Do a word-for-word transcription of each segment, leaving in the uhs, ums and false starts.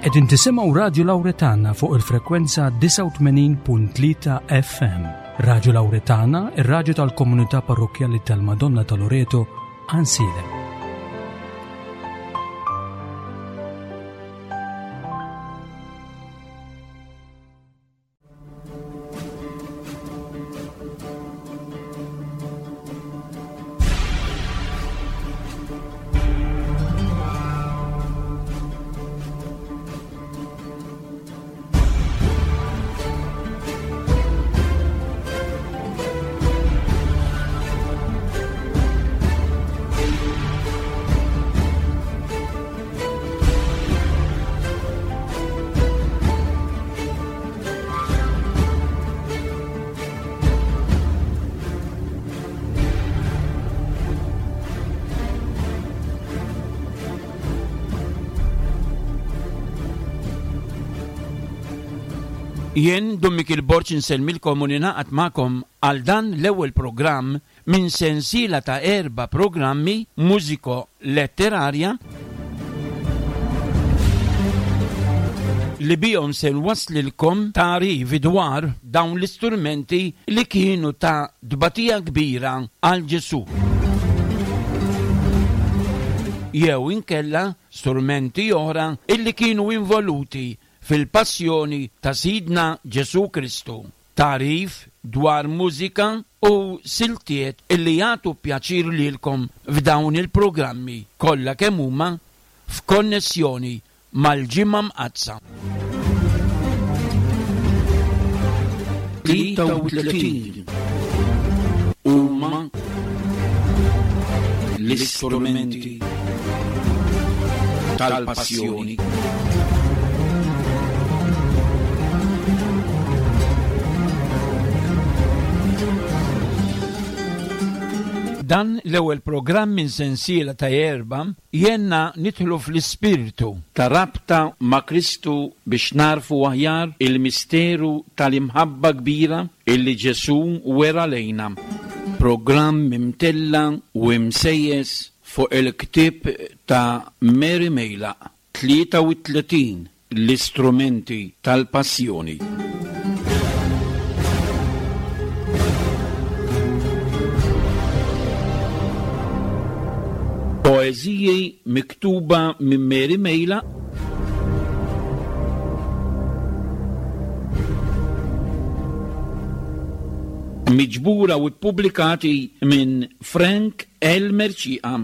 Qegħdin tisimgħu Radju Lawretana fuq il-frekwenza disgħa u tmenin punt tlieta F M. Radju Lawretana, ir-radju tal-komunità parrokkjali tal-Madonna ta' Loreto, Għajnsielem. Jien Dun Mikiel Borg insellmilkom u ninaqat magħkom għal dan l-ewwel programm minn sensiela ta' erba' programmi mużiko-letterarja li bihom se nwaslilkom tagħrif dwar dawn l-istrumenti li kienu ta' tbatija kbira għal Ġesù. Jew inkella strumenti oħra illi kienu involuti fil-passjoni ta' Sidna Ġesù Kristu. Tagħrif dwar mużika u siltiet illi jagħtu pjaċir lilkom f'dawn il-programmi kollha kemm huma f'konnessjoni mal-Ġimgħa Mqaddsa. Tlieta u tletin huma l-istrumenti tal-passjoni. Dan l-ewwel programm minn sensiela ta' erba' jenna nidħlu fl-ispirtu ta' rabta ma' Kristu biex narfu aħjar il-misteru tal-imħabba kbira illi Ġesù wera lejna. Programm imtella u imsejjes fuq il-ktieb ta' Mary Mejlaq, tlieta u tletin l-istrumenti tal-passjoni. Poeżiji miktuba minn Mary Mejlaq miġbura u ppubblikati minn Frank L. Mercieca.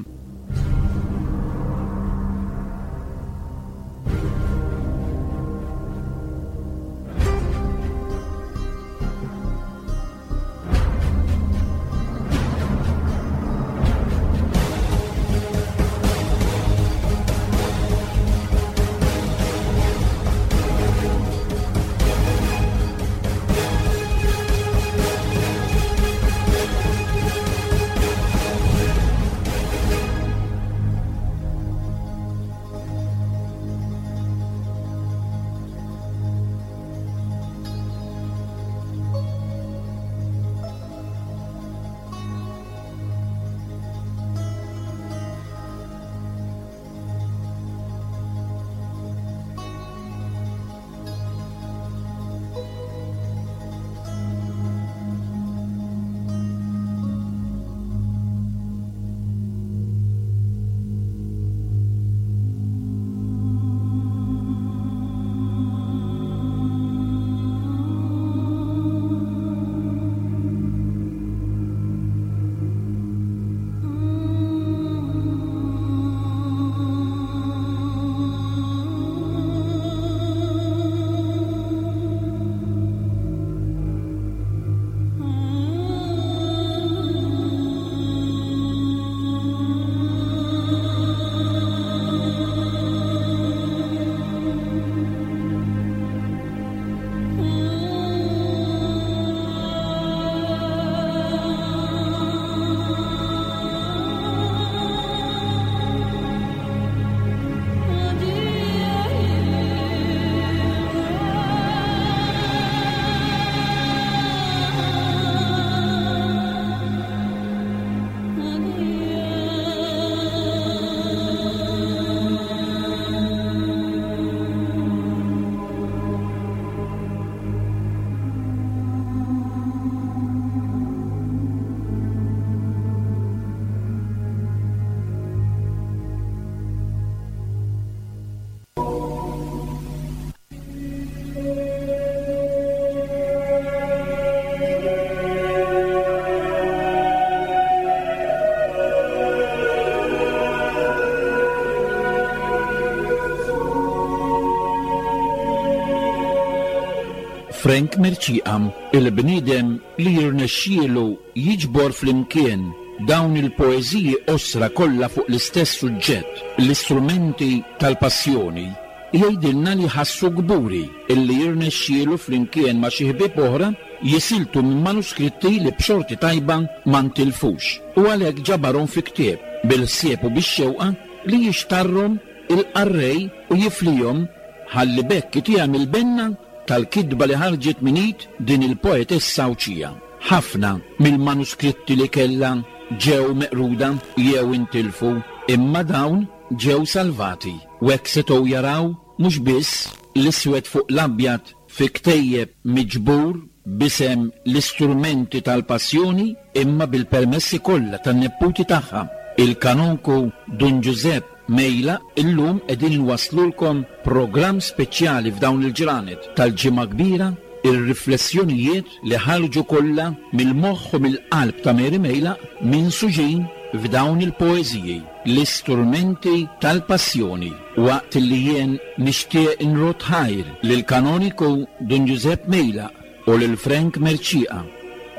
Frank Mercieca, il-bniedem li jirnexxielu jiġbor flimkien dawn il-poeżiji qosra kollha fuq l-istess suġġett, l-istrumenti tal-passjoni, jgħidilna li ħassu kburi illi jirnexxielu flimkien ma' xi ħbieb oħra jisiltu minn manuskritti li b'xorti tajba ma ntilfux u għalhekk ġabarhom fi ktieb bil-ħsieb u bix-xewqa li jixtarrhom il-qarrej u jiflihom ħalli b'hekk itiegħem il-benna tal-kitba li ħarġet minn id din il-poetessa Għawdxija. Ħafna mill-manuskritti li kellha ġew meqruda jew intilfu, imma dawn ġew salvati u hekk setgħu jaraw mhux biss l-iswed fuq l-abjad fi ktejjeb miġbur b'isem l-istrumenti tal-passjoni, imma bil-permessi kollha tan-nepputi tagħha, il-kanonku Dun Ġużepp Mejlaq. Illum qegħdin inwasslulkom programm speċjali f'dawn il-ġranet tal-Ġimgħa Kbira, ir-riflessjonijiet li ħarġu kollha mill-moħħ u mill-qalb ta' Mary Mejlaq minsuġin f'dawn il-poeżiji, l-istrumenti tal-passjoni. Waqt li jien nixtieq inrodd ħajr lil kanoniku Dun Ġużepp Mejlaq u lil Frank Mercieca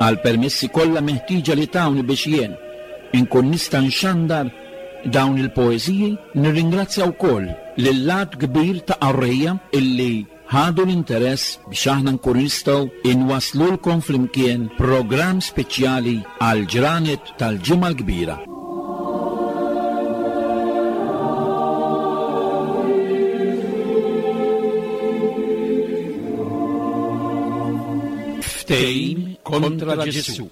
għal permessi kollha meħtieġa li tawni biex jien inkun nista' nxandar dawn il-poeżiji, nirringrazzja wkoll lil-lat kbir ta' qarrejja illi ħadu l-interess biex aħna nkunu nistgħu inwaslulkom flimkien programm speċjali għal ġranet tal-Ġimgħa l-Kbira. Ftehim kontra Ġesù.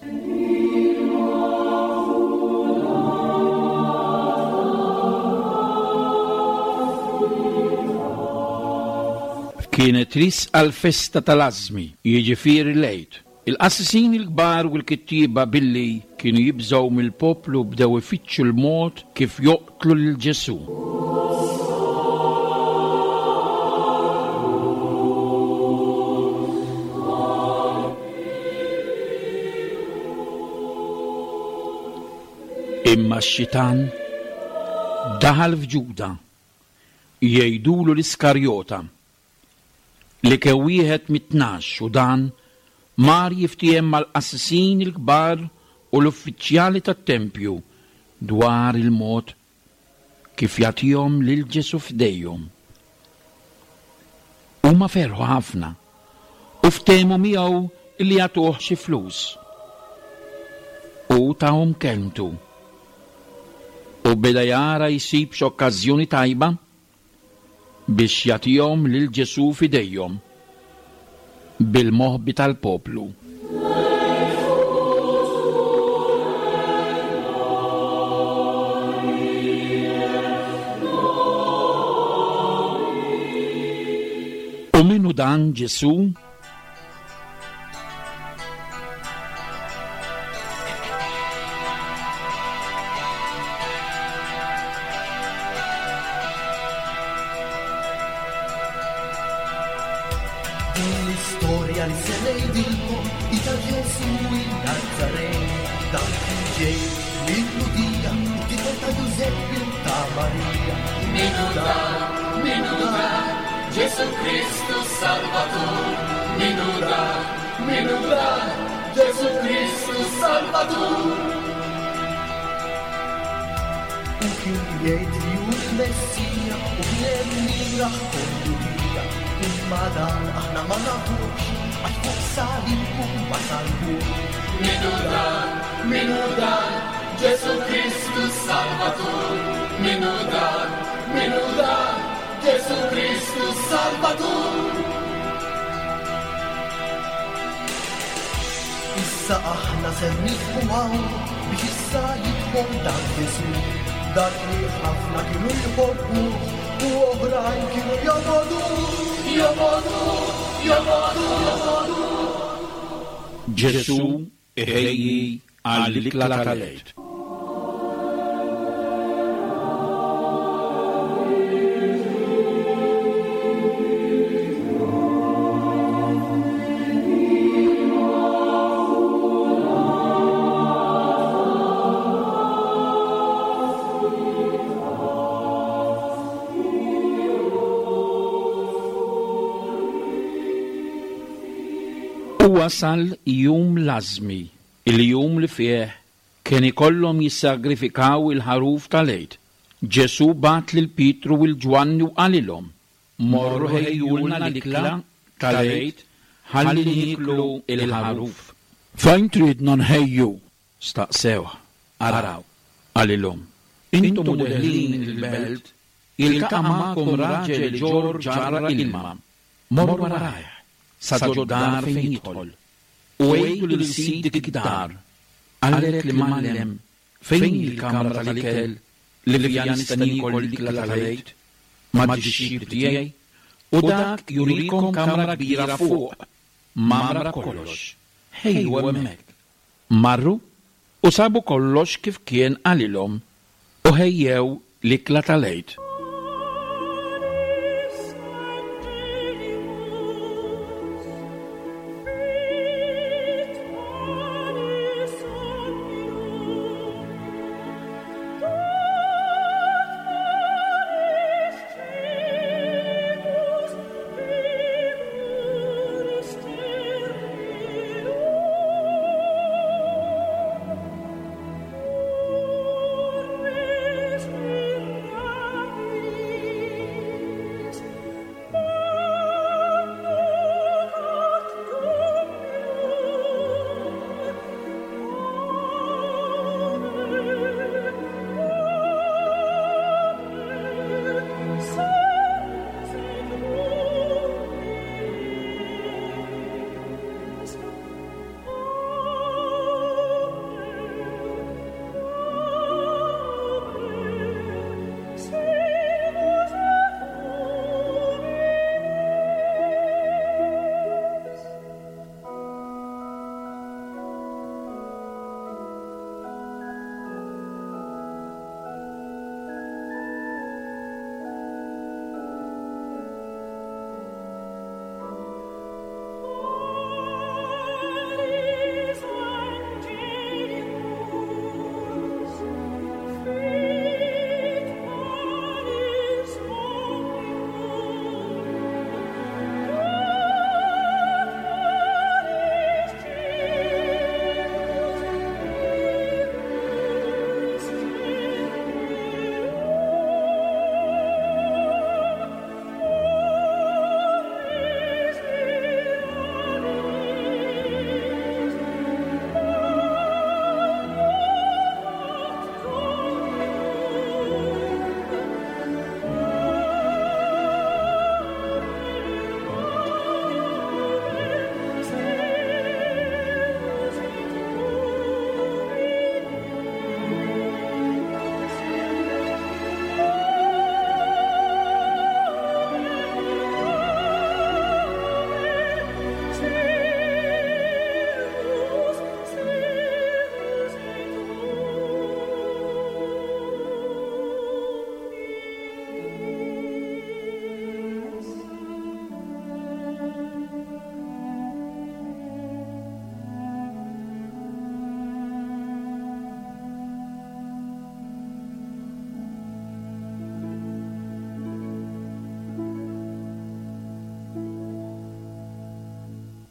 Kienet riesqa l-festa tal-Ażmi, jiġifieri l-Għid. Il-qassisin il-kbar u l-kittieba billi kienu jibżgħu mill-poplu bdew ifittxu l-mod kif joqtlu lil Ġesù. Imma x-xitan daħal f'Ġuda, jgħidulu l-Iskarjota, li kien wieħed mit-tnax, u dan mar jiftiehem mal-qassisin il-kbar u l-uffiċjali tat-tempju dwar il-mod kif jagħtihom lil Ġesù f'idejhom. Huma ferħu ħafna u ftehmu miegħu li jagħtuh xi flus. U tahom kelmtu. U beda jara jsib x'okkażjoni tajba biex jagħtihom lil Ġesù f'idejhom bil-moħbi tal-poplu. U minnu dan Ġesù? Din l-istorja li se ngħidilkom hi ta' Ġesù in-Nazaret. Dan kien ġej mill-Lhudija, tifel ta' Ġużeppi u ta' Marija. Min hu dan, min hu dan, Ġesù Kristu Salvatur. Min hu dan, min hu dan, Ġesù Kristu Salvatur. U kien jgħid li hu l-Messija u kien hemm min rah kollu bija. Imma dan aħna ma nafux, għax fuq salib u ma salbux. Min hu dan, min hu dan, Ġesù Kristu Salvatur. Min hu dan, min hu dan, Ġesù Kristu Salvatur. Issa aħna ser nieqfu hawn biex issa jidħol dan Ġesù, dak li ħafna kienu jħobbu u oħrajn kienu jobogħdu, jobogħdu, jobogħdu, jobogħdu. Ġesù iħejji għall-ikla tal-Għid. U wasal jum l-Ażmi, il-jum li fih kien ikollhom jissagrifikaw il-ħaruf tal-Għid. Ġesù bagħat lil Pietru u l-Ġwanni u qalilhom: Morru ħejjulna l-ikla tal-Għid ħalli nieklu il-ħaruf. Fejn tridna nħejju? Staqsewh. Araw, qalilhom, intom u deħlin il-belt, jiltaqa' magħkom raġel iġorr ġarra ilma. Morru warajh sa ġod-dar fejn jidħol, u għidu lil sid dik id-dar: Qalek l-Imgħallem, fejn hi l-kamra tal-ikel li fiha nista' niekol l-ikla tal-Għid mad-dixxipli tiegħi? U dak jurikom kamra kbira fuq, mgħammra b'kollox. Ħejju hemmhekk. Marru u sabu kollox kif kien qalilhom u ħejjew l-ikla tal-Għid.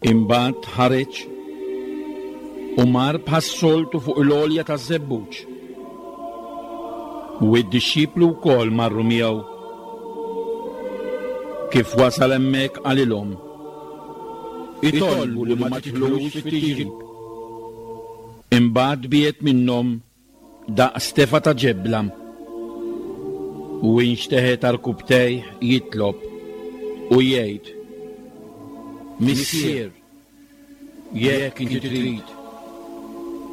Imbagħad ħareġ u mar bħas-soltu fuq il-għolja taż-Żebbuġ. U d-dixxipli wkoll marru miegħu. Kif wasal hemmhekk qalilhom: Itolbu li ma tidħlux fit-tiġrib. Imbagħad biegħed minnhom daqs tefa ta' ġebla u inxteħet għarkupptejh jitlob u jgħid: Missier, jekk inti trid,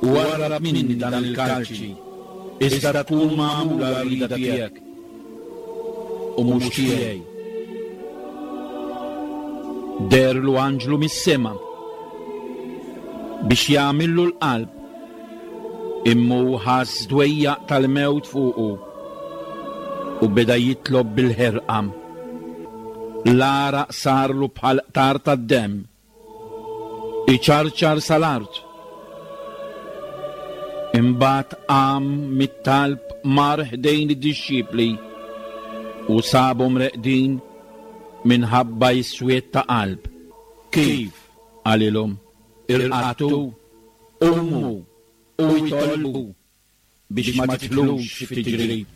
warrab minni dan il-kalċi, iżda tkun magħmula r-rieda tiegħek u mhux tiegħi. Deherlu anġlu mis-sema biex jagħmillu l-qalb, imma hu ħass dwejjaq tal-mewt fuqu u beda jitlob bil-ħerqa. L-għaraq sarlu bħal qtar tad-demm, iċarċar sal-art. Imbagħad qam mit-talb, mar ħdejn id-dixxipli u sabhom reqdin minħabba s-swied ta' qalb. Kif? Qalilhom. Irqadtu, qumu u itolbu biex ma tidħlux fit-tiġrib.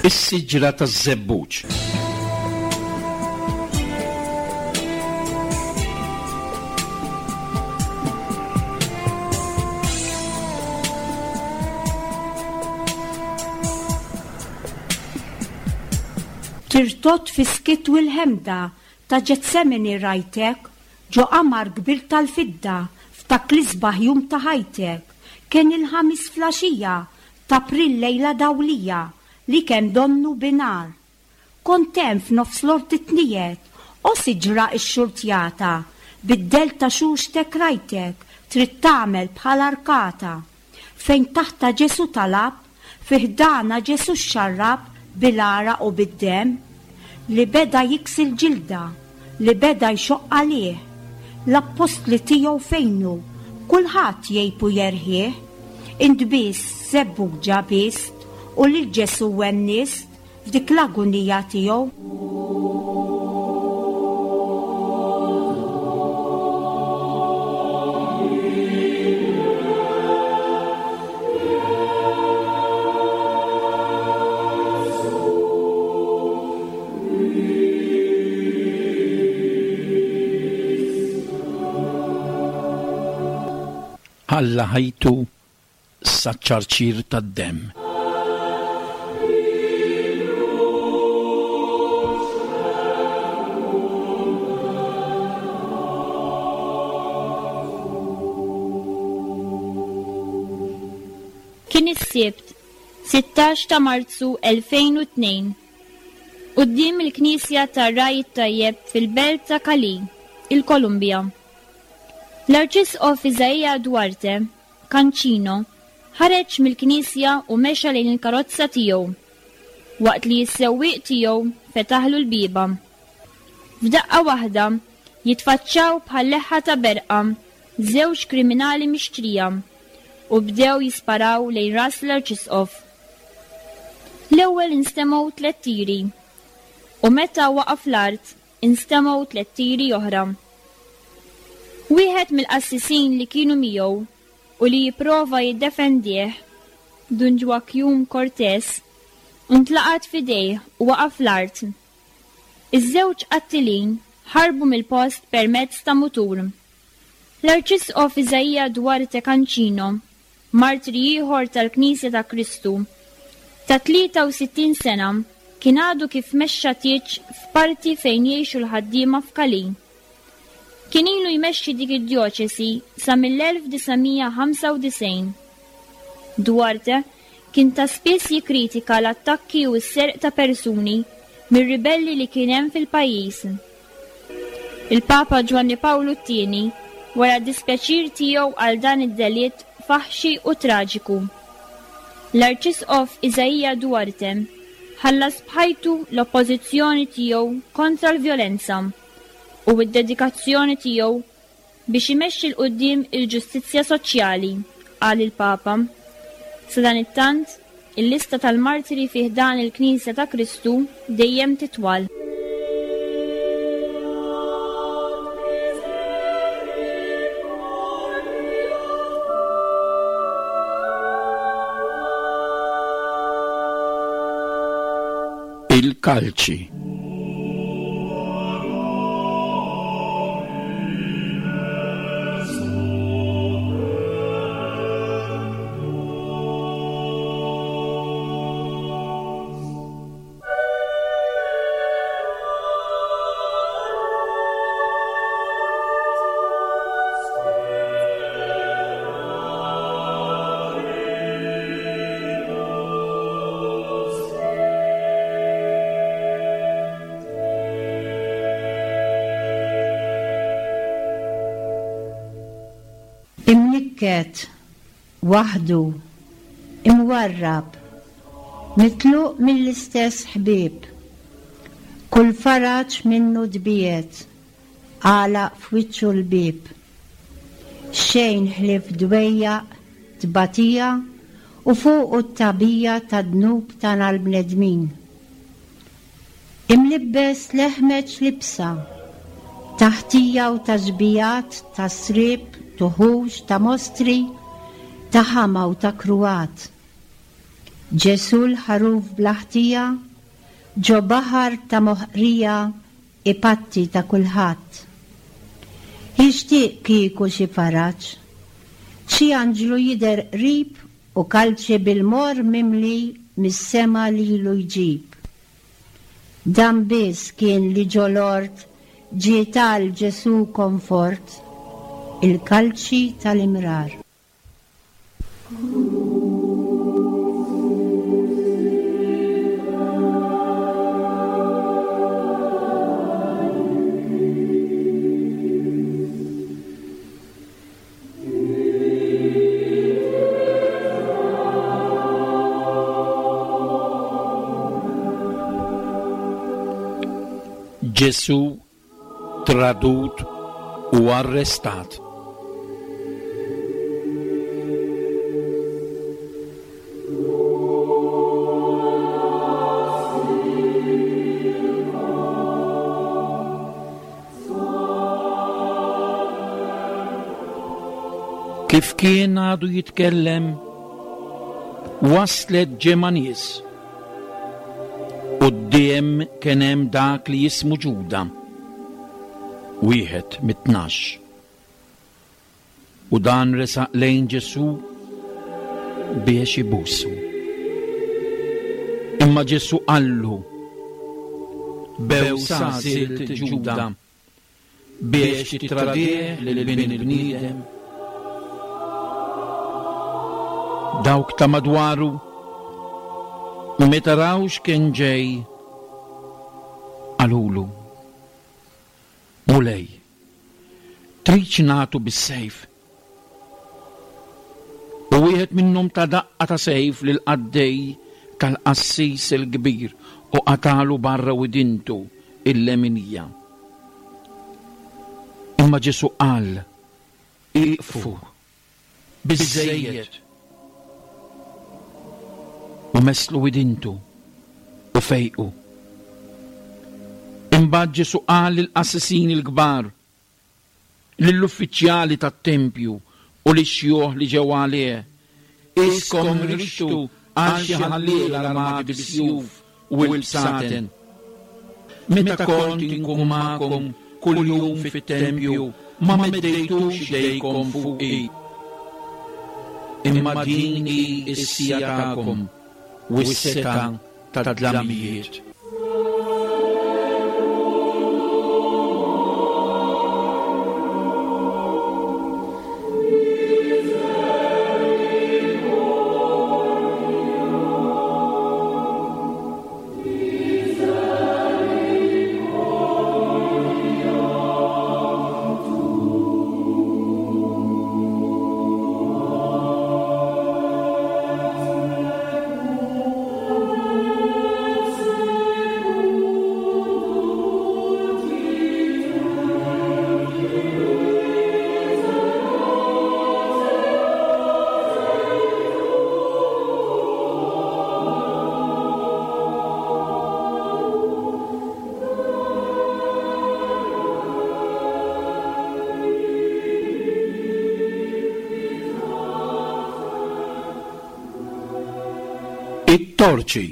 Is-siġra taż-żebbuġ. Tirtot fis-skiet u l-ħemda ta' Ġetsemani rajtek, ġo qamar kbir tal-fidda f'dak l-isbaħ jum ta' ħajtek. Kien il-ħamis flaxija ta' April lejla dawlija li kemm donnu binar. Kont hemm f'nofs l-ort tniet, o siġra x-xurtjata, bid-del ta' xuxtek rajtek, trid tagħmel bħal arkata. Fejn taħta Ġesu talab, fi ħdana Ġesu xxarrab bil-għaraq u bid-demm, li beda jiksi l-ġilda, li beda jxoqq għalih. L-appostli tiegħu fejnu, kulħadd jgħib u jerħih. Int biss żebbuġa bist u lil Ġesu wennist f'dik l-agunija tiegħu. Ħalla ħajtu saċ-ċarċir tad-demm. Kien is-Sibt, sittax ta' Marzu elfejn u tnejn, quddiem il-Knisja tar-Ragħaj it-Tajjeb fil-Belt ta' Cali, il-Kolumbja. L-Arċisqof Isaia Duarte, Cancino, ħareġ mill-Knisja u mexa lejn il-karozza tiegħu, waqt li s-sewwieq tiegħu fetaħlu l-bieba. F'daqqa waħda jitfaċċaw bħal leħħa ta' berqa żewġ kriminali mixtrija u bdew jisparaw lejn ras l-Arċisqof. L-ewwel instemgħu tliet tiri u meta waqaf l-art instemgħu tliet tiri oħra. Wieħed mill-qassisin li kienu miegħu u li jipprova jiddefendih, Dun Joaquim Cortés, intlaqat f'idejh u waqaf l-art. Iż-żewġ qattilin ħarbu mill-post permezz ta' mutur. L-Arċisqof Isaia Duarte Cancino, martri ieħor tal-Knisja ta' Kristu, ta' tlieta u sittin sena, kien għadu kif mexxa tieġ f'parti fejn jgħixu l-ħaddiema f'Cali. Kien ilu jmexxi dik id-djoċesi sa mill-elf disa' mija ħamsa u disgħin. Duarte kien ta' spiss jikkritika l-attakki u s-serq ta' persuni mir-ribelli li kien hemm fil-pajjiż. Il-Papa Ġwanni Pawlu t-tieni wara d-dispjaċir tiegħu għal dan id-delitt faħxi u traġiku. L-Arċisqof Isaia Duarte ħallas b'ħajtu l-oppożizzjoni tiegħu kontra l-vjolenza u d-dedikazzjoni tiegħu biex imexxi 'l quddiem il-ġustizzja soċjali, qal il-Papa. Sadanittant, il-lista tal-martiri fih dan il-Knisja ta' Kristu dejjem titwal. Il-kalċi. Imnikket, waħdu, imwarrab, mitluq mill-istess ħbieb, kull faraġ minnu dbiet, għalaq f'wiċċu l-bieb. Xejn ħlief dwejjaq, tbatija u fuqu t-tabija ta' dnub tagħna l-bnedmin. Imlibbes leħmeġ libsa, taħtija u ta' ġbijat, ta' srib, tuħux, ta' mostri, ta' ħama u ta' kruat. Ġesu l-ħaruf bl-ħtija, ġo baħar ta' moħqrija, ipatti ta' kulħadd. Jixtieq kieku xi faraġ, xi anġlu jidher qrib u kalċi bil-mor mimli mis-sema lilu jġib. Dan biss kien li ġol-ort ġie tal Ġesù komfort, il-kalċi tal-imrar. Ġesù tradut u arrestat. Kif kien għadu jitkellem, waslet ġemgħa nies. Quddiem kien hemm dak li jismu Ġuda, wieħed mit-tnax. U dan resaq lejn Ġesù biex ibusu. Imma Ġesù qallu, bewsa għażilt Ġuda biex tittradih lil bin il-bniedem. Dawk ta' madwaru meta raw x'kien ġej, qalulu, Mulej, tridx nagħtu bis-sejf? U wieħed minnhom ta' daqqa ta' sejf lil qaddej tal-qassis il-kbir u qatalu barra widintu il-leminija. Imma Ġesù qal, iqfu, biżżejjed. U meslu widintu u fejqu. Imbagħad Ġesù qal lill-qassisin il-kbar, lill-uffiċjali tat-tempju u lix-xjuħ li ġew għalih, iskom rixtu għal xi ħalliel armati bis-sjuf u l-bsaten. Meta kont inkun magħkom kuljum fit-tempju, ma meddejtux idejkom fuqi. Imma din hi s-sija tagħkom u s-setgħa tad-dlamijiet. It-torċi.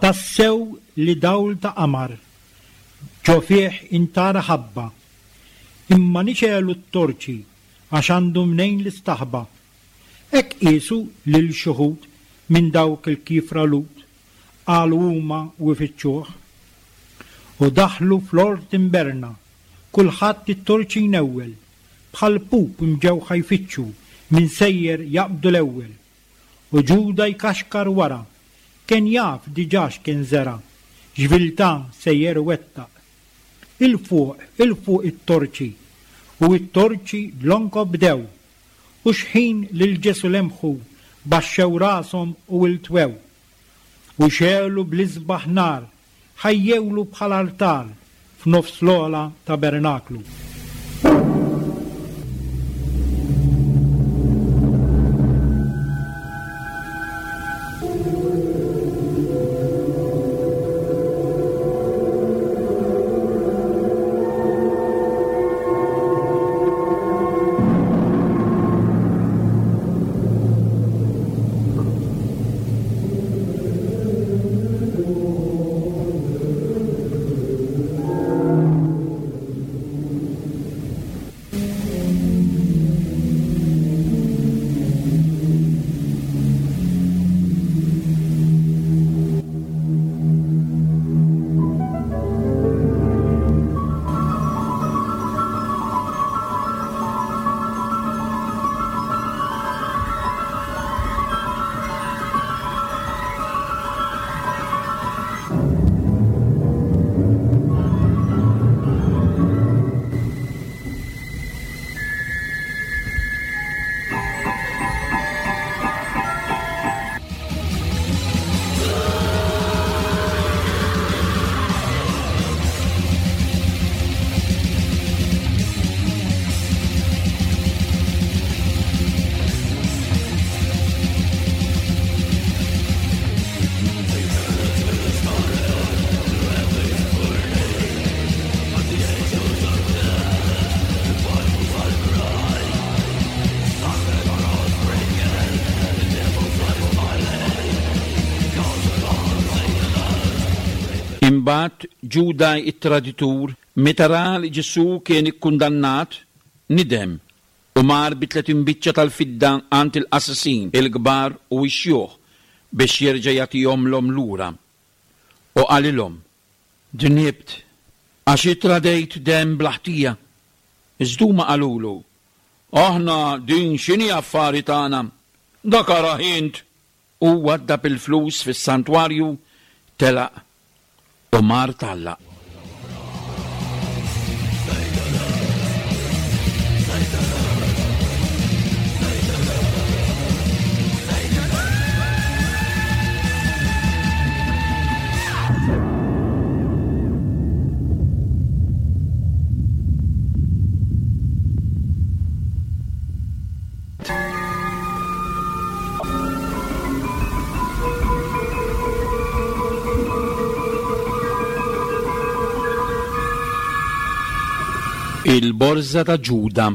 Tassew li dawl ta' qamar, ġo fih intara ħabba, imma nixelu t-torċi għax għandu mnejn l-istaħba. Hekk qiesu lil xuħud minn dawk il-kifra lut, qalu huma u ifittxuh. U daħlu fl-ort imberna, kulħadd it-torċi jnewwel, bħal pup imġewħa jfittxu minn sejjer jaqbdu l-ewwel. U Ġuda jkaxkar wara, kien jaf diġà x'kien żera, x'viltà sejjer iwettaq. Il-fuq, il-fuq it-torċi, u it-torċi dlonko bdew, u xħin lil Ġesù lemħu baxxew rashom u iltwew. U xegħlu bl-isbaħ nar, ħajjewlu bħal artal f'nofs l-ogħla tabernaklu. Imbagħad Ġuda it-traditur, meta ra li Ġesù kien ikkundannat, nidem u mar bi tletin biċċa tal-fidda għand il-qassisin il-kbar u x-xjuħ biex jerġa' jagħtihomlhom lura. U qalilhom: Dnibt, għax ittradejt demm bla ħtija. Iżda huma qalulu: Aħna din x'inhi affari tagħna? Dak arah int. U waddab il-flus fis-santwarju, telaq u mar tgħallaq. Il-borża ta' Ġuda.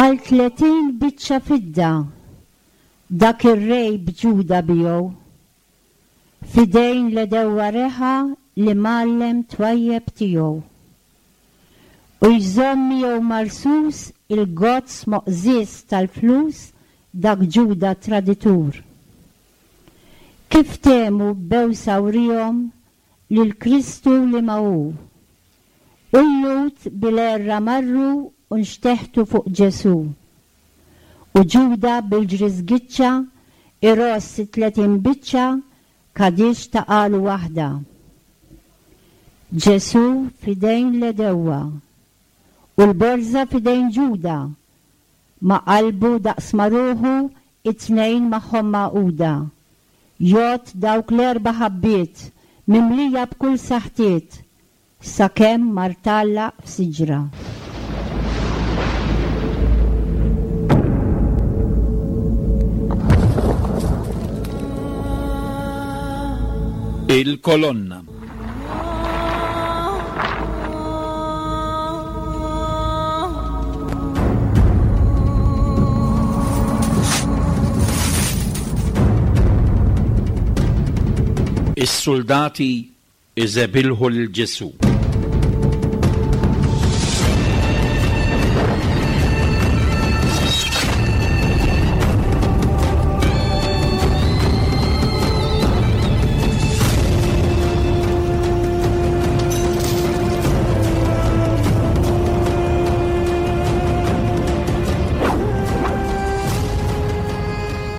Għal tletin biċċa fidda dak ir-rej b'Ġuda biegħu. F'idejn l-għedewwa reħa l-imgħallem twajjeb tiegħu. U jżomm miegħu marsus il-gozz moqżież tal-flus dak Ġuda traditur. Kif temu bewsa wrihom lil Kristu li ma hu. U l-Lhud bil-għerra marru u nxteħtu fuq Ġesù. U Ġuda bil-ġriżgiċċa iross tletin biċċa kadix taqalu waħda. Ġesù f'idejn l-għedewwa u l-borża f'idejn Ġuda, ma' qalbu daqs ma' ruħu it-tnejn magħhom magħquda. Jgħodd dawk l-erba' ħabbiet mimlija b'kull saħtiet sakemm mar tgħallaq f'siġra. Il-kolonna. Is-soldati iżebilħu lil Ġesù.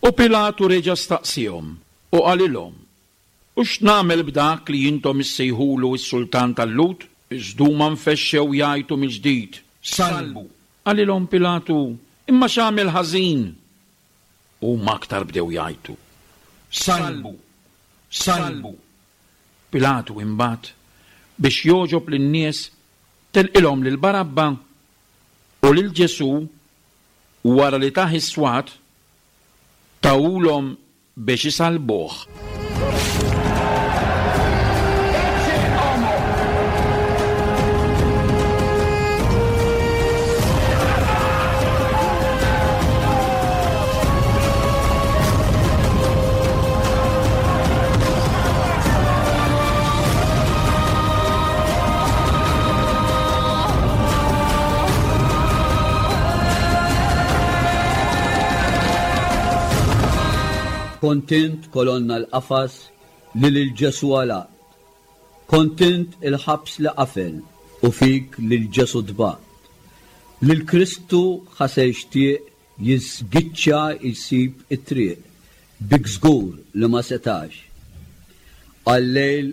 U Pilatu reġa' staqsihom u qalilhom, U x'nagħmel b'dak li intom issejħulu s-sultan tal-Lhud? Iżda huma nfexxew jgħajtu mill-ġdid, Sallbu. Qalilhom Pilatu, Imma x'għamel ħażin? Huma aktar bdew jgħajtu, Sallbu, sallbu. Pilatu imbagħad biex jogħġob lin-nies telqilhom lil Barabba u lil Ġesù wara li tah is-swat tahulhom biex isallbuh. Kont int kolonna l-qafas li lil Ġesù għalaqt. Kont int il-ħabs li qafel u fik lil Ġesù tbaqt. Lil Kristu ħa se jixtieq jiżgiċċa jsib it-triq, bik żgur li ma setax. Għal-lejl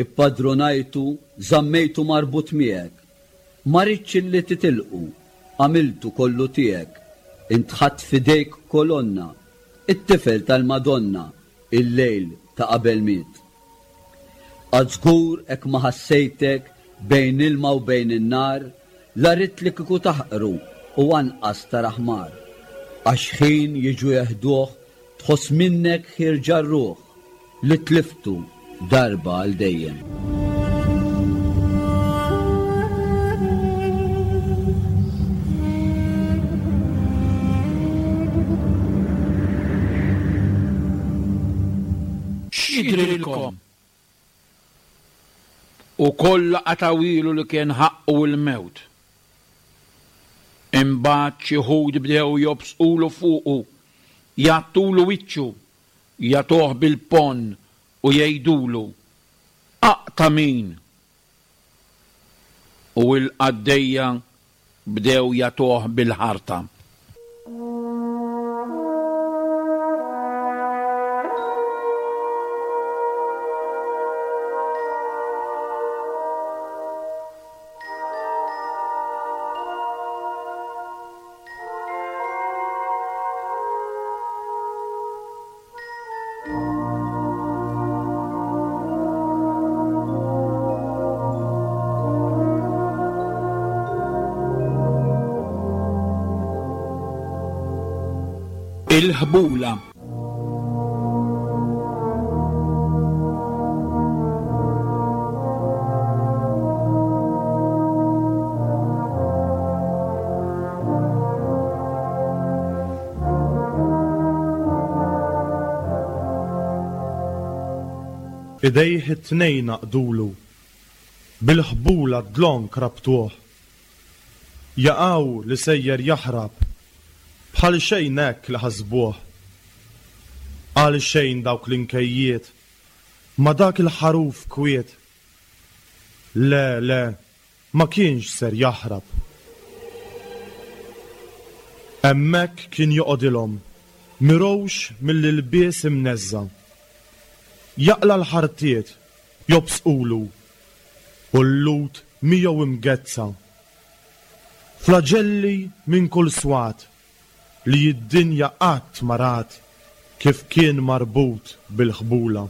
ippadrunajtu, żammejtu marbut miegħek. Ma ridtx li titilqu, għamiltu kollu tiegħek. Int ħadt f'idejk kolonna, it-tifel tal-Madonna, il-lejl ta' qabel miet. Għad żgur hekk ma ħassejtek bejn ilma u bejn in-nar, la ridt li kieku taħqru u anqas tara ħmar. Għax ħin jiġu jeħduh tħoss minnek ħierġa r-ruħ li tliftu darba għal dejjem. X'jidhrilkom? U kollha qatgħuhielu li kien ħaqqu l-mewt. Imbagħad xi wħud bdew jobsqulu fuqu, jgħattulu wiċċu, jagħtuh bil-ponn u jgħidulu, Aqta' min? U l-qaddejja bdew jagħtuh bil-ħarta. Il-ħbula. Idejh it-tnejn għaqdulu, bil-ħbula dlonk rabtuh. Jaqaw li sejjer jaħrab, bħal xejn hekk li ħasbuh. Għal xejn dawk l-inkejjiet, ma dak il-ħaruf kwiet. Le, le, ma kienx ser jaħrab. Hemmhekk kien joqgħodilhom, mirgħux mill-ilbies imneżża'. Jaqla' l-ħartiet, jobsqulu, u l-lut miegħu imgezza. Flaġelli minn kull swat, li d-dinja qatt ma rat kif kien marbut bil-ħbula.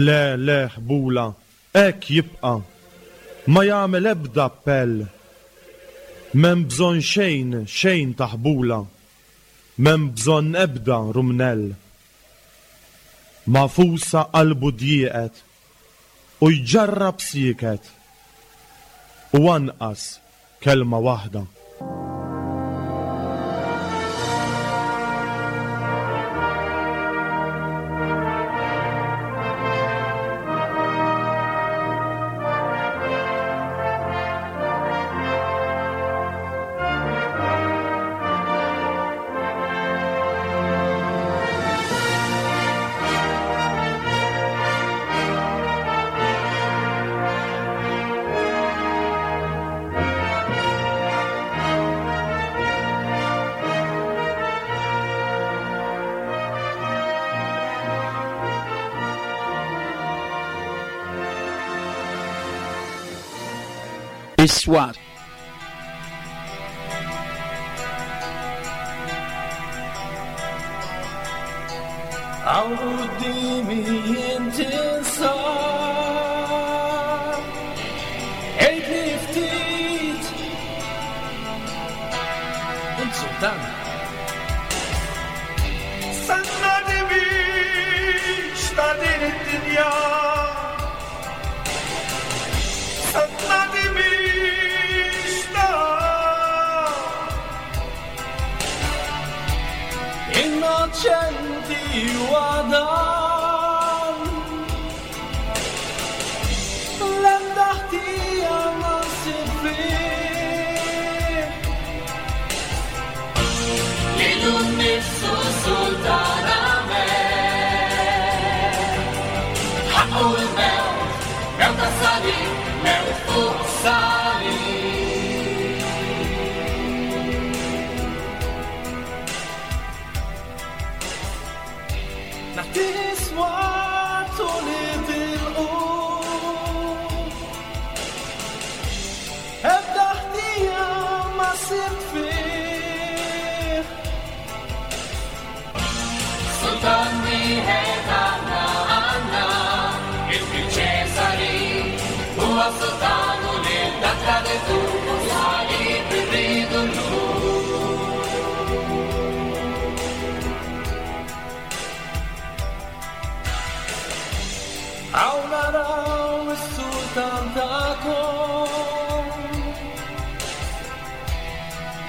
Le, le, ħbula, hekk jibqa', ma jagħmel ebda appell. M'hemm bżonn xejn, xejn ta' ħbula, m'hemm bżonn ebda rumnell. Magħfusa qalbu djieqet u jġarrab sieket u anqas kelma waħda. Is-swat. Hawn quddiemi int tinsab. Għidli ftit. Int sultan. Sannani biex ta' din id-dinja. Sannani biex ta' Innoċenti u għadan. L-ebda ħtija ma ssib fih. Lilu nnifsu sultan għamel. Ħaqqu l-mewt, mewt tas-salib, mewt fuq salib. Nagħti swat u li tilqu. Ebda ħtija ma sibt fih. Sultan wieħed għandna, għandna, il-Kbir Ċesari, huwa sultan u lil dak traditur u salib irridu llum. Hawn naraw is-sultan tagħkom.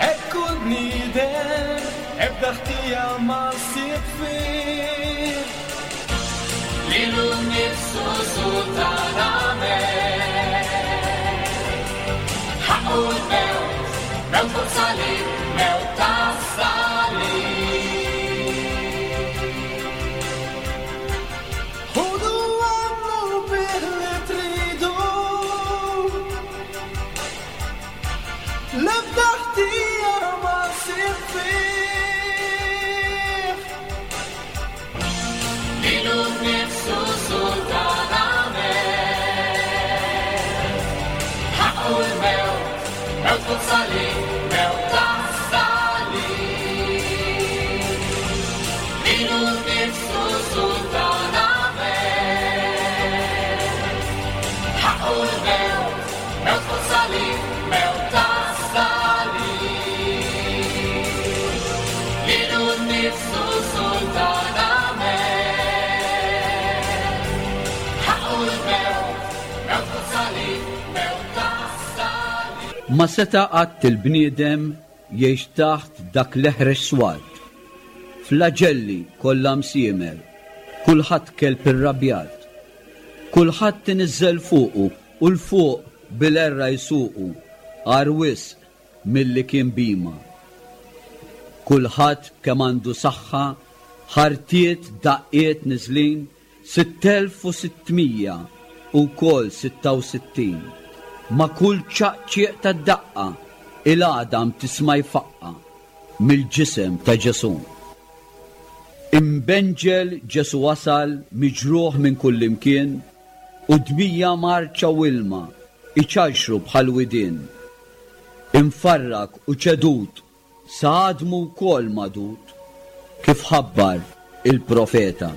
Hekk hu l-bniedem, ebda ħtija ma ssib fih. Lilu nnifsu sultan għamel. Ħaqqu l-mewt, mewt fuq salib, mewt tas-salib. Ħudu għamlu bih li tridu. L-ebda ħtija ma ssib fih. Lilu nnifsu sultan għamel. Ħaqqu l-mewt, mewt fuq salib, mewt tas-salib. Lilu nnifsu sultan għamel. Ħaqqu l-mewt, mewt fuq salib, mewt tas-salib. Lilu nnifsu sultan għamel. Ħaqqu l-mewt, mewt fuq salib, mewt tas-salib. Ma seta' qatt il-bniedem jgħix taħt dak l-eħrex swat. Flaġelli kollha msiemer, kulħadd kelb irrabjat. Kulħadd iniżżel fuqu u l fuq bil-erra jsuqu, għar wisq milli kien bima. Kulħadd kemm għandu saħħa, ħartiet daqqiet niżlin, sitt elf u sittmija u wkoll sitta u sittin. Ma' kull ċaqċieq tad-daqqa, il-għadam tisma' jfaqqa mill-ġisem ta' Ġesu. Imbenġel Ġesu wasal miġruħ minn kull imkien u dmija marċa u ilma iċarxru bħal widien. Imfarrak u ċedut sa għadmu wkoll madud kif ħabbar il-profeta.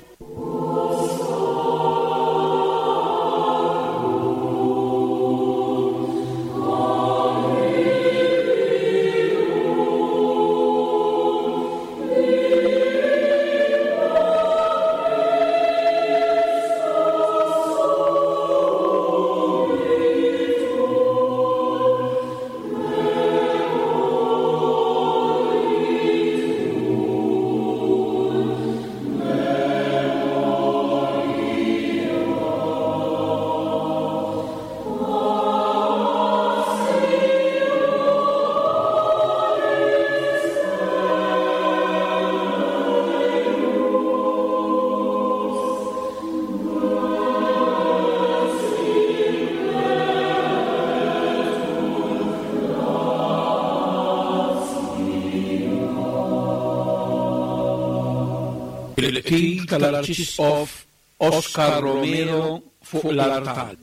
Il-qtil tal-Arċisqof Oscar Romero fuq l-artal.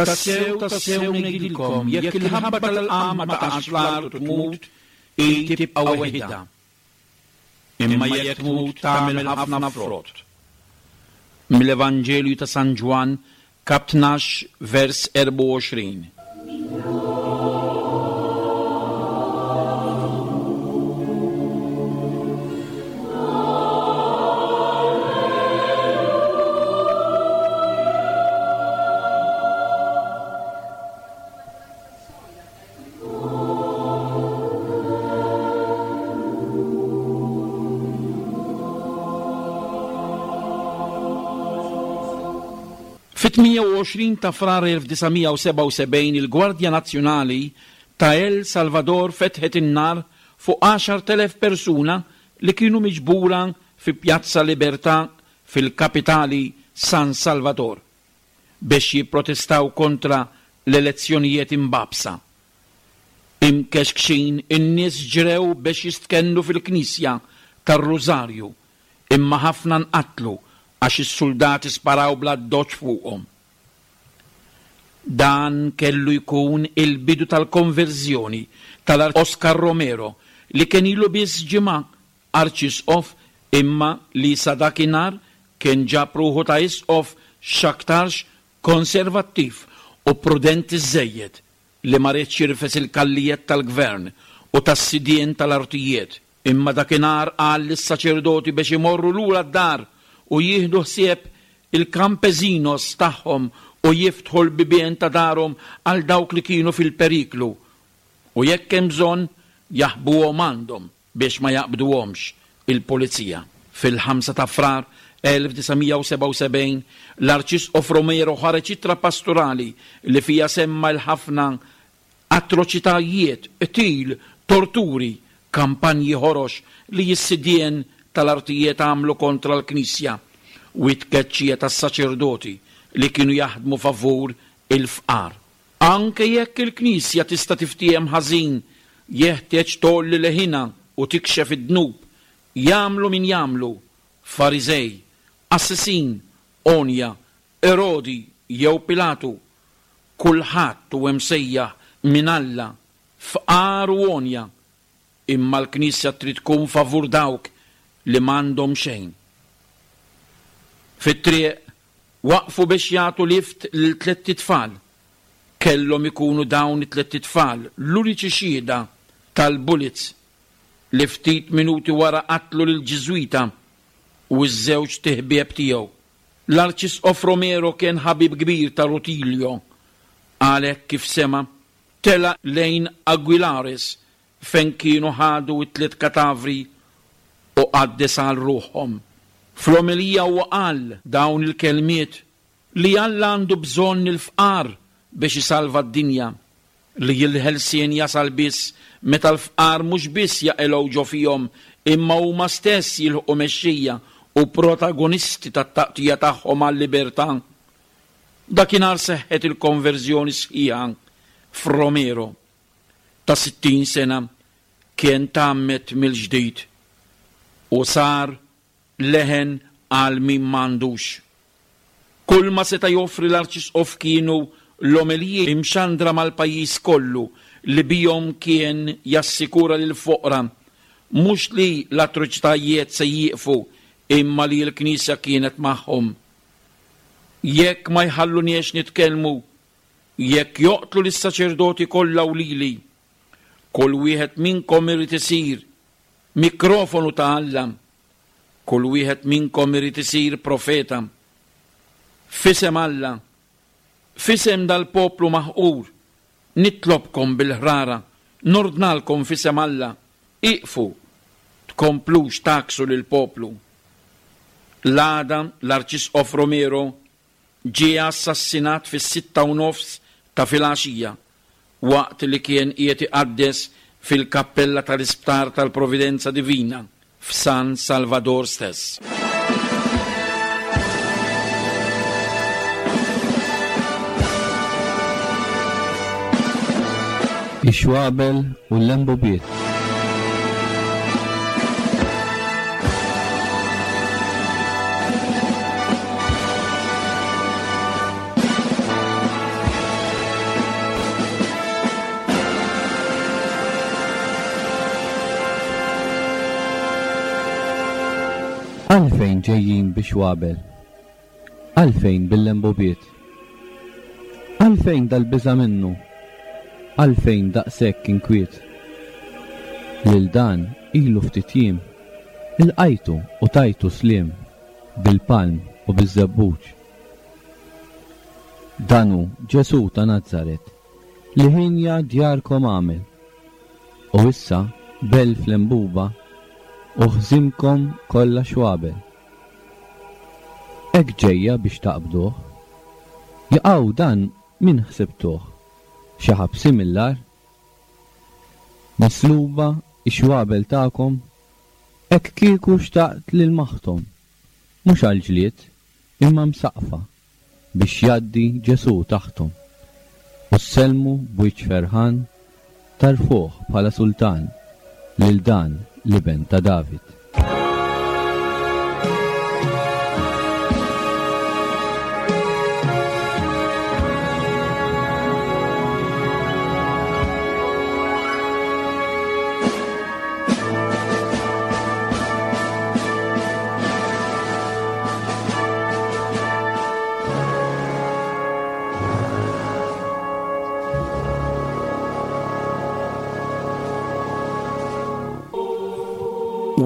Tassew, tassew ngħidilkom, jekk il-ħabba tal-qamħ ma taqax fl-art u tmut, hi tibqa' weħidha. Imma jekk tmut tagħmel ħafna frott. Mill-Evanġelju ta' San Ġwann, kap tnax, vers erbgħa u għoxrin. Fit-tmienja u għoxrin ta' Frar elf disa' mija u sebgħa u sebgħin il-Gwardja Nazzjonali ta' El Salvador fetħet in-nar fuq għaxart elef persuna li kienu miġbura fi Pjazza Libertà fil-kapitali San Salvador biex jipprotestaw kontra l-elezzjonijiet imbabsa. Imkexkxin in-nies ġrew biex jistkennu fil-Knisja tar-Rużarju, imma ħafna nqatlu għax is-soldati sparaw bla doċ fuqhom. Dan kellu jkun il-bidu tal-konverżjoni tal-Oscar Romero li kien ilu biss ġimgħa arċisqof imma li sa dakinhar kien ġab ruħu ta' isqof x'aktarx konservattiv u prudenti żejjed li ma riedx jirfes il-kallijiet tal-gvern u tas-sidien tal-artijiet. Imma dakinhar qal lis-saċerdoti biex imorru lura d-dar u jieħdu ħsieb il-kampezinos tagħhom u jiftħu l-bibien ta' darhom għal dawk li kienu fil-periklu u jekk hemm bżonn jaħbuhom għandhom biex ma jaqbduhomx il-pulizija. Fil-ħamsa ta' Frar elf disa' mija u sebgħa u sebgħin l-Arċisqof Romero ħareġ ittra pastorali li fija semma l-ħafna atroċitajiet, qtil, torturi, kampanji ħorox li s-sidien tal-artijiet għamlu kontra l-Knisja u t-tkeċċija tas-saċerdoti li kienu jaħdmu favur il-fqar. Anke jekk il-Knisja tista' tiftiehem ħażin, jeħtieġ tgħolli leħinha u tikxef id-dnub, jagħmlu min jagħmlu, Fariżej, Assessin, Onja, Erodi jew Pilatu, kulħadd hu msejjaħ minn Alla, fqar u onja, imma l-Knisja trid tkun favur dawk li m'għandhom xejn. Fit-triq waqfu biex jagħtu lift lil tlett itfal. Kellhom ikunu dawn it-tlett itfal l-uniċi xhieda tal-bullets li ftit minuti wara qatlu lil Ġiżwita u ż-żewġ tiħbieb tiegħu. L-Arċisqof Romero kien ħabib kbir ta' Rutilio, għalhekk kif sema tela lejn Aguilares fejn kienu ħadu t-tliet katavri u qaddes għal ruħhom. Fl-omelija huwa qal dawn il-kelmiet li Alla għandu bżonn il-fqar biex isalva d-dinja, li l-ħelsien jasal biss meta l-fqar mhux biss jaqilgħu ġo fihom imma huma stess jilħqu mexxija u protagonisti tat-taqtija tagħhom għal-libertà. Dakinhar seħħet il-konverżjoni sħiħa f'Romero ta' sittin sena kien tgħammed mill-ġdid u sar leħen għal min m'għandux. Kull ma seta' joffri l-Arċisqof kienu l-omeliji imxandra mal-pajjiż kollu li bihom kien jassikura lil foqra mhux li l-atroċitajiet se jieqfu imma li l-Knisja kienet magħhom. Jekk ma jħalluniex nitkellmu, jekk joqtlu lis-saċerdoti kollha u lili, kull wieħed minnkom irid isir mikrofonu ta' Alla, kull wieħed minnkom irid isir profeta. F'isem Alla, f'isem dal-poplu maħqur, nitlobkom bil-ħrara, nordnalkom f'isem Alla, iqfu, tkomplux taksu lill-poplu. L-għada l-Arċisqof Romero ġie assassinat fis-sitta u nofs ta' filgħaxija waqt li kien qiegħed iqaddes fil-kappella tal-Isptar tal-Providenza Divina f'San Salvador stess. Ix-xwabel u l-lembubiet. Għalfejn ġejjin biex wabel? Għalfejn bil-lembubiet? Għalfejn dal-biża' minnu? Għalfejn daqshekk inkwiet? Lil dan ilu ftit jiem, ilqajtu u tajtu sliem bil-palm u biż-żebbuġ. Dan hu Ġesù ta' Nazaret li ħinja djarkom għamel. U issa b'elf lembuba u ħżimkom kollha xwabel. Hekk ġejja biex taqbduh. Jaqaw dan min ħsibtuh? Xi ħabsi mill-agħar? Misluba x-xwabel tagħkom, hekk kieku xtaqt lil maħtom, mhux għall-ġlied, imma msaqfa biex jgħaddi Ġesù taħthom. U ssellmu b'wiċċ ferħan tarfuh bħala sultan lil dan l-iben ta' David.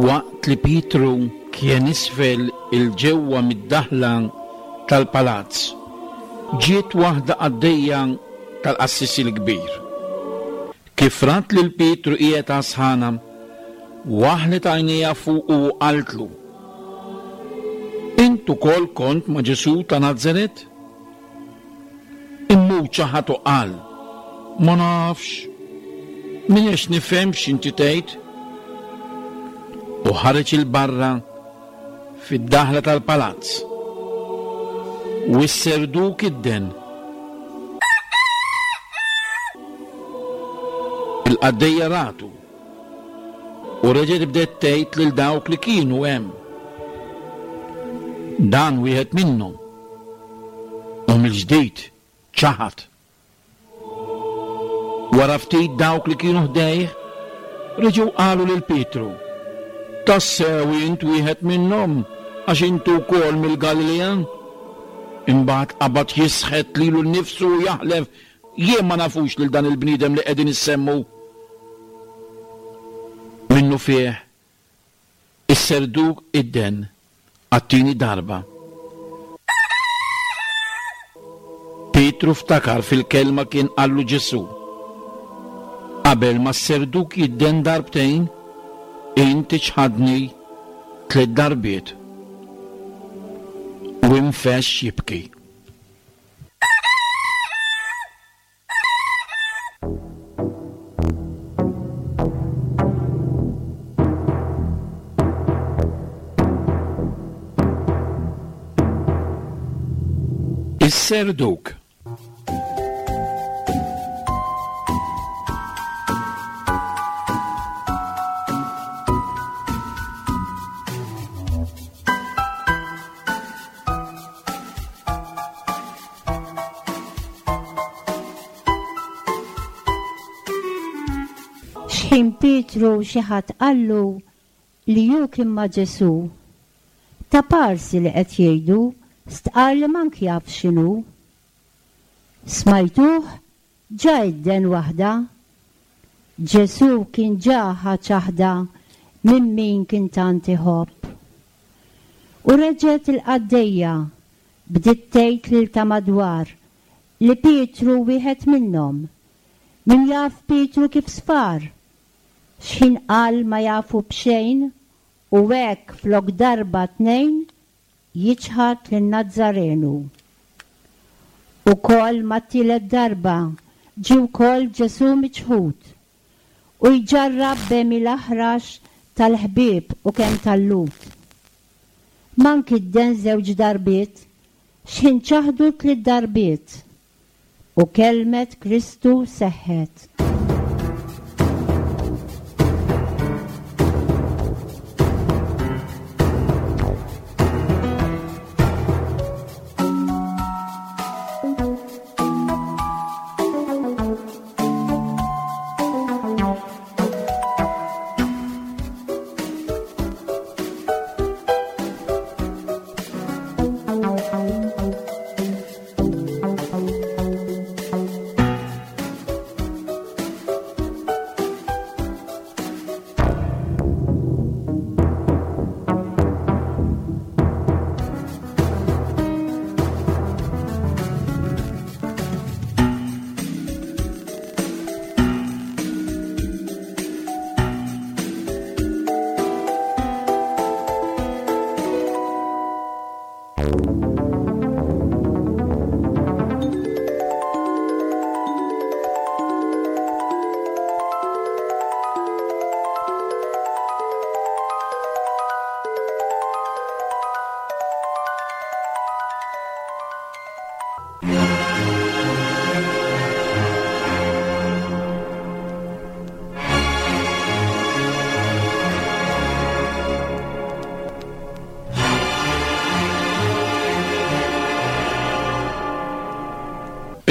Waqt li Pietru kien isfel il-ġewwa mid-daħla tal-palazz, ġiet waħda qaddejja tal-qassis il-kbir. Kif rat lil Pietru qiegħed għasħana, waħlet għajnejha fuqu u qaltlu: Int ukoll kont ma' Ġesù ta' Nazaret? Imma hu ċaħad u qal: Ma nafx, m'iniex nifhem x'inti tgħid. U ħareġ il-barra fid-daħla tal-palazz. U s-serduk idden. Il-qaddejja ratu u reġgħet bdiet tgħid lil dawk li kienu hemm: Dan wieħed minnhom. U mill-ġdid ċaħad. Wara ftit dawk li kienu ħdejh reġgħu qalu lil Pietru: Tassew int wieħed minnhom, għax intu wkoll mill-Galilea. Imbagħad qabad jisħet lilu nnifsu u jaħlef: Jien ma nafux lil dan il-bniedem li qegħdin issemmu. Minnu fih is-serduk idden għat-tieni darba. Pietru ftakar fil-kelma kien qallu Ġesù: Qabel ma s-serduk jidden darbtejn, int iċħadni tliet darbiet. U infexx jibki. Is-serduk. X'ħin Pietru xi ħadd qallu li hu kien ma' Ġesù, ta' parsi li qed jgħidu stqar li mank jaf x'inhu. Smajtuh ġa idden waħda. Ġesù kien ġa ħa ċaħda minn min kien tant iħobb. U reġgħet il-qaddejja bdiet tgħid lil ta' madwar li Pietru wieħed minnhom. Min jaf Pietru kif sfar, x'ħin qal ma jafu b'xejn u hekk flok darba tnejn jiċħad lin-Nazzarenu. Ukoll mat-tielet darba ġie wkoll Ġesù miċħud u jġarrab b'għemil aħrax tal-ħbieb u kemm tal-Lhud. Mank idden żewġ darbiet, x'ħin ċaħdu tliet darbiet, u kelmet Kristu seħħet.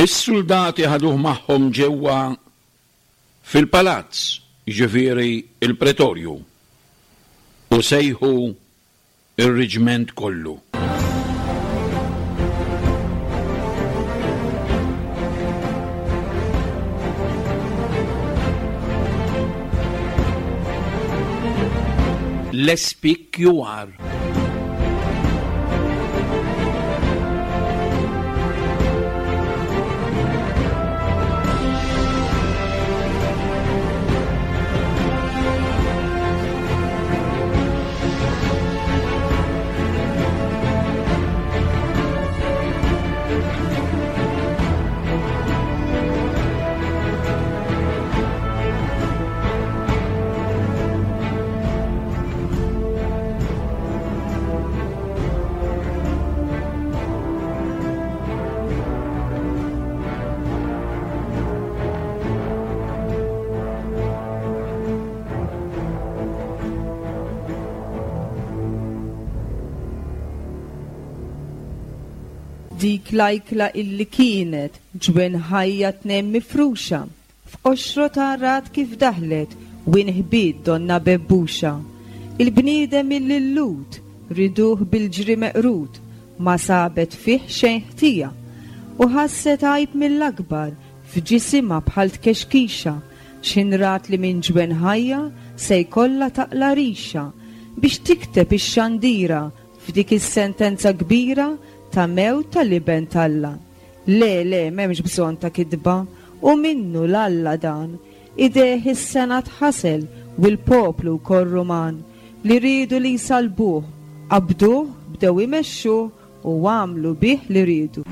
Is-suldati ħaduh magħhom ġewwa fil-palazz, jiġifieri il-pretorju, u sejħu ir-reġment kollu. L S P Q R. Dik l-ajkla illi kienet ġwen ħajja tnejn mifruxa, f'qoxro rat kif daħlet u inħbiet donna bebbuxa. Il-bniedem illi l-lut riduh bil-ġri meqrut, ma sabet fih xejn ħtija, u ħasset għajb mill-akbar f'ġisimha bħal tkexkixa, x'ħin rat li minn ġwen ħajja se jkollha taqla rixa biex tikteb ix-xandira f'dik is-sentenza kbira ta' mewt tal-iben t'Alla. Le, le, m'hemmx bżonn ta' kitba, u minnu l-Alla dan. Idejh is-sena tħasel u l-poplu wkoll Ruman li riedu li jsalbuh, qabduh, bdew imexxuh u għamlu bih li riedu.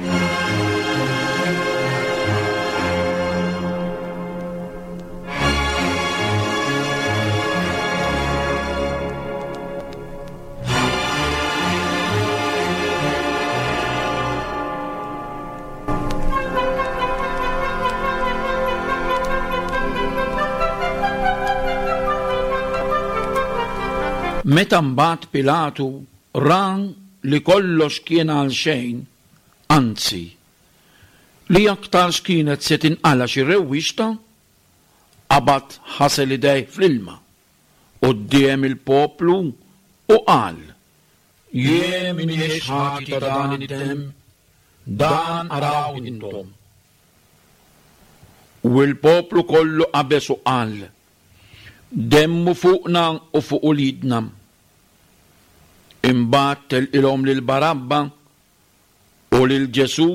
Meta mbagħad Pilatu ra li kollox kien għal xejn, anzi, li aktarx kienet se tinqala xi rewwixta, qabad ħasel idejh fl-ilma quddiem il-poplu u qal: Jien m'iniex ħati ta' dan id-demm, dan araw intom. U l-poplu kollu qabeż u qal: Demmu fuqna u fuq uliedna. Imbagħad telqilhom lil Barabba u lil Ġesù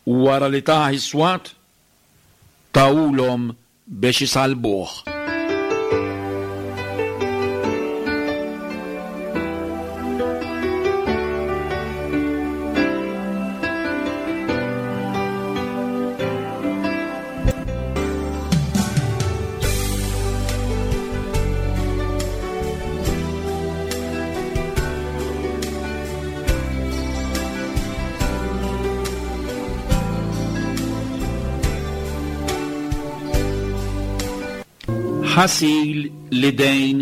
wara li tah is-swat tawulhom biex isalbuh. Ħasil l-idejn.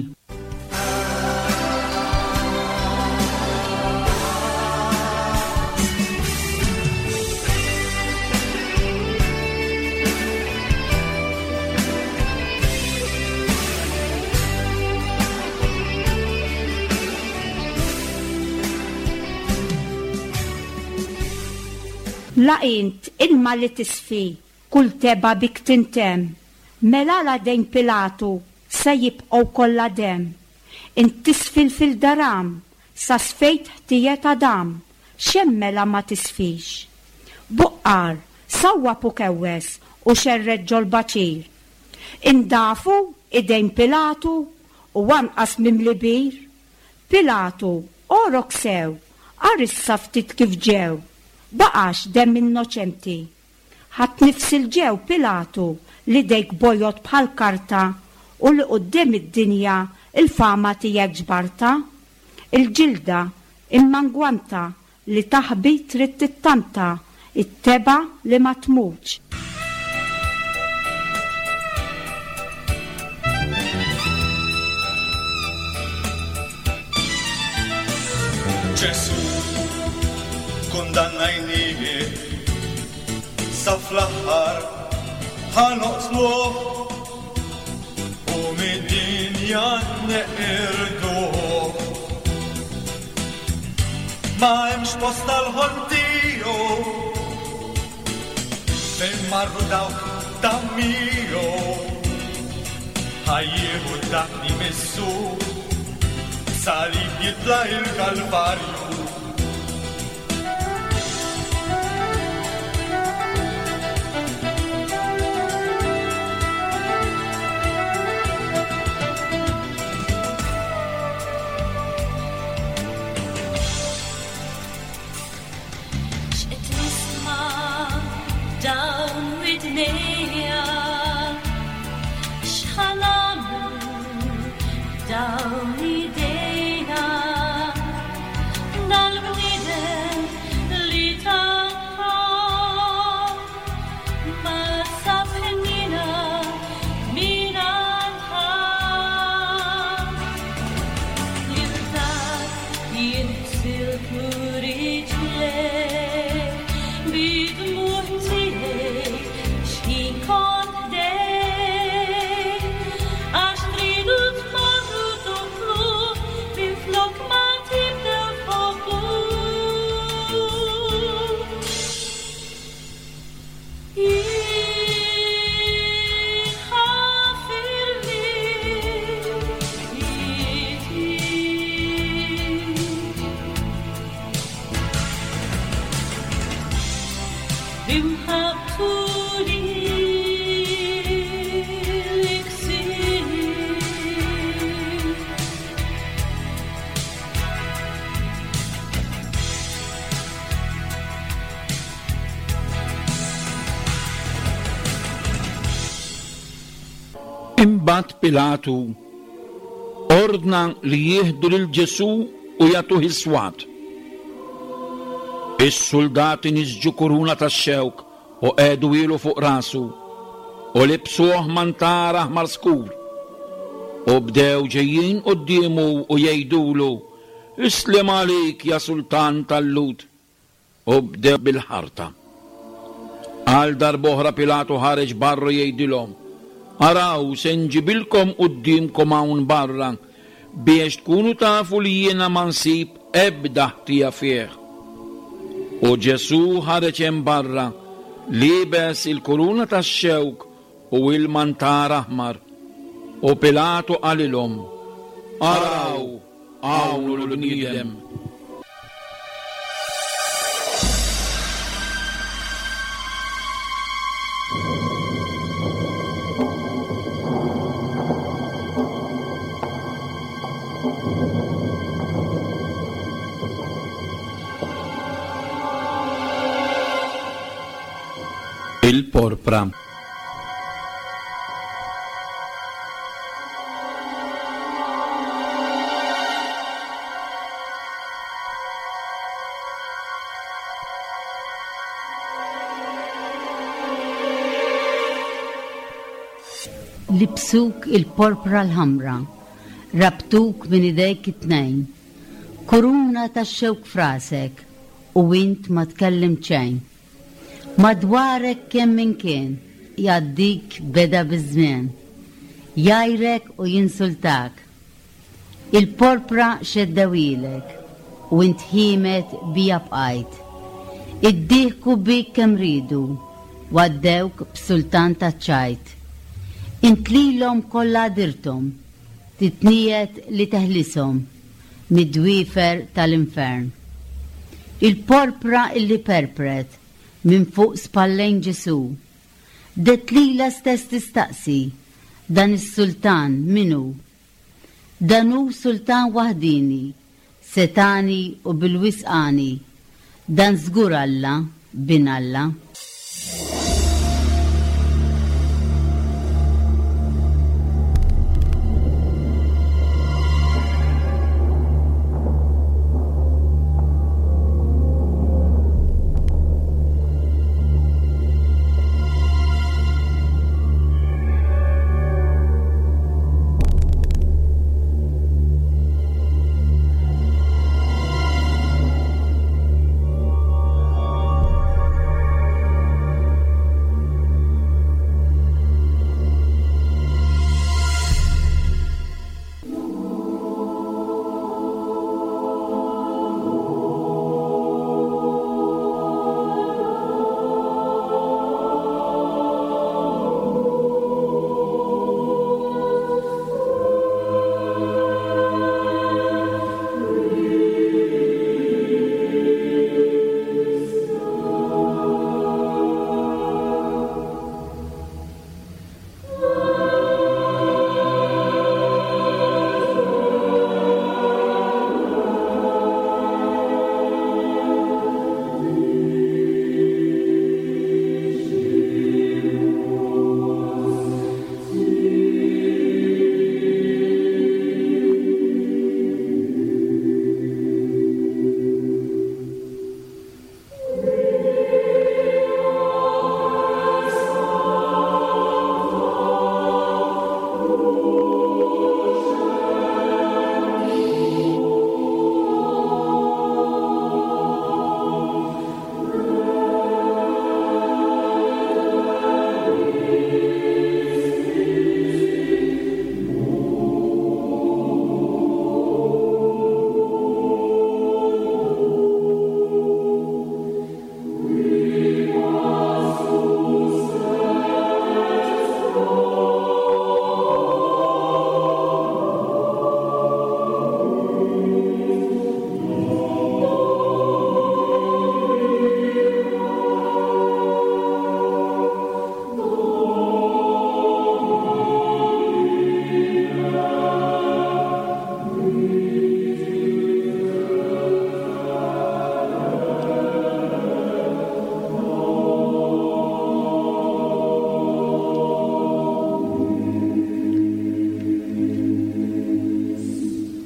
La int ilma li tisfi, kull teba bik tintemm. Mela la dejn Pilatu se jibqgħu kollha demm. Int tisfil fil-daram, sa sfejt ħtijiet Adam, x'hemm mela ma tisfix. Buqqar, sawwab u kewwes u xerred ġol-baċir. Indafu idejn Pilatu u anqas mimli bir. Pilatu, orok sew, arissa ftit kif ġew, baqax demm innoċenti. Ħadd nifs il-ġew Pilatu li dejk bojod bħal karta u li quddiem id-dinja il-fama tiegħek ġbarta. Il-ġilda immangwanta li taħbi trid tittanta, it-teba li ma tmutx. Ġesù kundannajnieh, Sa fl-aħħar ħa noqtluh u mid-dinja neqirduh. Ma hemmx post għall-ħolm tiegħu fejn marru dawk ta' miegħu. Ħa jieħu dak li missu, salib jitla' il-Kalvarju. X'qed nisma' dawn widnejja, x'ħa nagħmlu dawn idejna, dal-bniedem li tagħha ma sab ħnina minn għandha. Lil dak jinħsilku riġlejk bid-dmugħ tiegħek x'ħin kont ħdejk, għax tridu tmorru toqtluh minflok ma tibdew tħobbuh. Jien ħafirli ħiti. B'imħabbtu lilek sir. Imbagħad Pilatu ordna li jieħdu lil Ġesù u jagħtuh is-swat. Is-soldati nisġu kuruna tax-xewk u qegħdu ilu fuq rasu u libsuh mantar aħmar skur. U bdew ġejjin quddiemu u jgħidulu, Islem għalik ja sultan tal-Lhud. U bdew bil-ħarta. Għal darb'oħra Pilatu ħareġ barra jgħidilhom, Araw se nġibilkom quddiemkom hawn barra biex tkunu tafu li jiena ma nsib ebda ħtija fih. U Ġesù ħareġ hemm barra, liebes il-kuruna tax-xewk u il-mantar aħmar. U Pilatu qalilhom, Araw hawn hu l-bniedem. Il-porpra. Libsuk il-porpra l-ħamra, rabtuk minn idejk it-tnejn, kuruna tax-xewk frasek u int ma tkellim xejn. Madwarek kemm minn kien, jgħaddik beda biż-żmien, jgħajrek u jinsultak. Il-porpra xeddewilek u int ħiemet bija bqajt. Iddieħku bik kemm ridu, għaddewk b'sultan taċ-ċajt. Int lilhom kollha dirthom, titniet li teħlishom mid-dwiefer tal-infern. Il-porpra illi perpret minn fuq spallejn Ġesù, det lilha stess tistaqsi, dan is-sultan min hu? Dan hu sultan waħdini, setani u bil-wisqani, dan żgur Alla, bin Alla.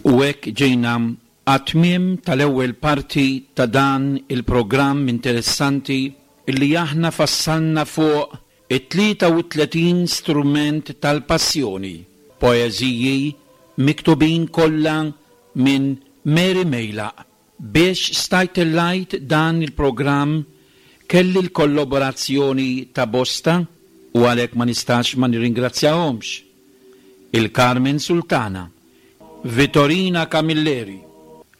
U hekk ġejna għat-tmiem tal-ewwel parti ta' dan il-programm interessanti illi aħna fassalna fuq it-tlieta u tletin strument tal-passjoni, poeżiji miktubin kollha minn Mary Meilaq. Biex stajt tellajt dan il-programm kelli l-kollaborazzjoni ta' bosta u għalhekk ma nistax ma nirringrazzjahomx. Il-Carmen Sultana, Vittorina Camilleri,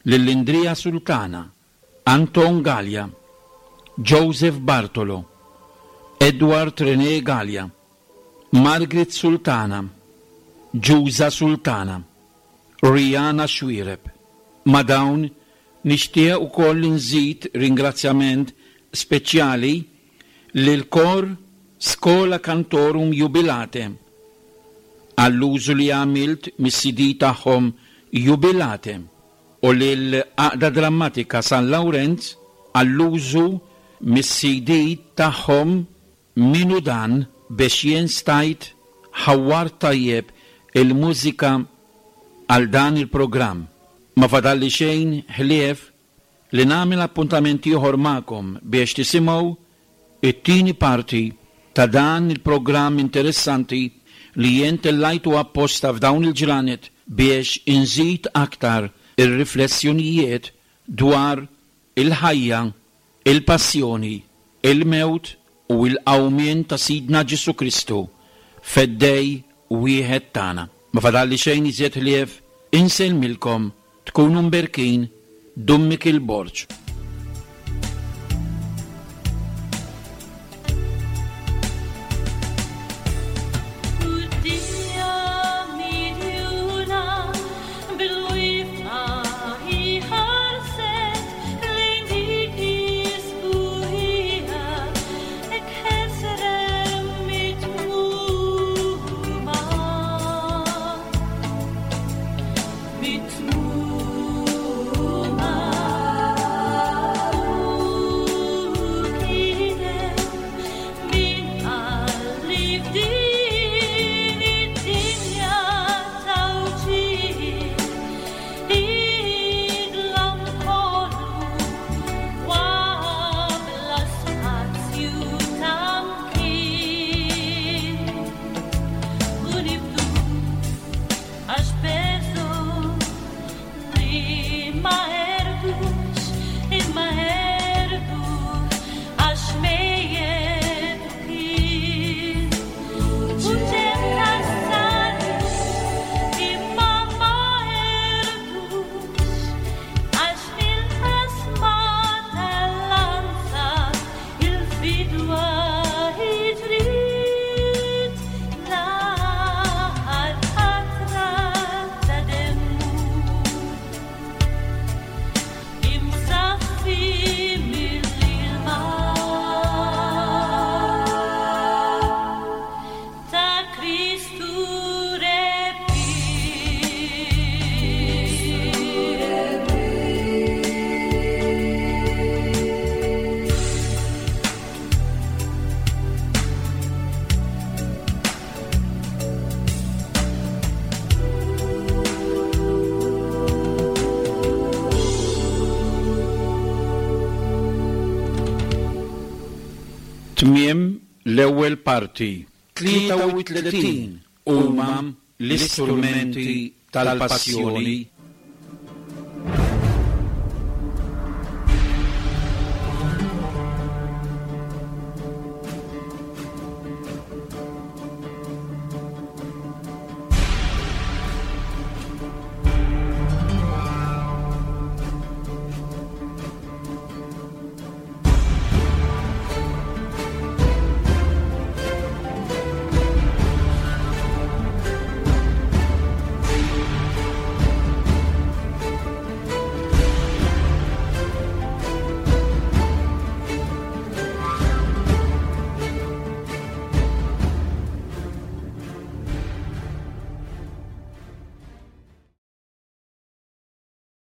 Lillindria Sultana, Anton Gallia, Joseph Bartolo, Edward René Gallia, Margaret Sultana, Ġuża Sultana, Rihanna Xuereb. Ma' dawn nixtieq ukoll nżid ringrazzjament speċjali lil kor Schola Cantorum Jubilate għall-użu li għamilt mis-C D tagħhom Jubilate u lil Għaqda Drammatika San Lawrenz għall-użu mis-C D tagħhom Minu Dan biex jien stajt ħawwar tajjeb il-mużika għal dan il-programm. Ma fadalli xejn ħlief li nagħmel appuntament ieħor magħkom biex tisimgħu it-tieni parti ta' dan il-programm interessanti li jien tellajtu apposta f'dawn il-ġranet biex inżid aktar ir-riflessjonijiet dwar il-ħajja, il-passjoni, il-mewt u l-qawmien ta' Sidna Ġesu Kristu, feddej wieħed tagħna. Ma fadalli xejn iżjed ħlief insellmilkom, tkunu mberkin, Dun Mikiel Borg. Tmiem l-ewwel parti. Tlieta u tletin huma l-istrumenti tal-passjoni.